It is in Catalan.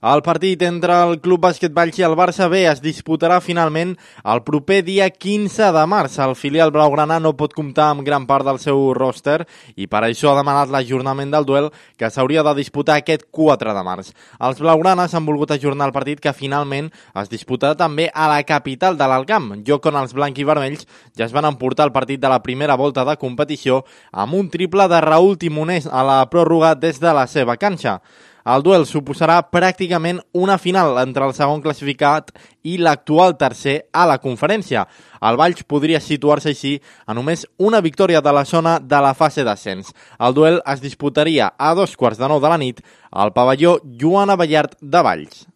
El partit entre el Club Bàsquet Valls i el Barça B es disputarà finalment el proper dia 15 de març. El filial blaugrana no pot comptar amb gran part del seu ròster i per això ha demanat l'ajornament del duel que s'hauria de disputar aquest 4 de març. Els blaugranes han volgut ajornar el partit que finalment es disputarà també a la capital de l'Alcamp, lloc on els blanc i vermells ja es van emportar el partit de la primera volta de competició amb un triple de Raúl Timonés a la pròrroga des de la seva canxa. El duel suposarà pràcticament una final entre el segon classificat i l'actual tercer a la conferència. El Valls podria situar-se així a només una victòria de la zona de la fase d'ascens. El duel es disputaria a 2:15 de la nit al pavelló Joan Abellart de Valls.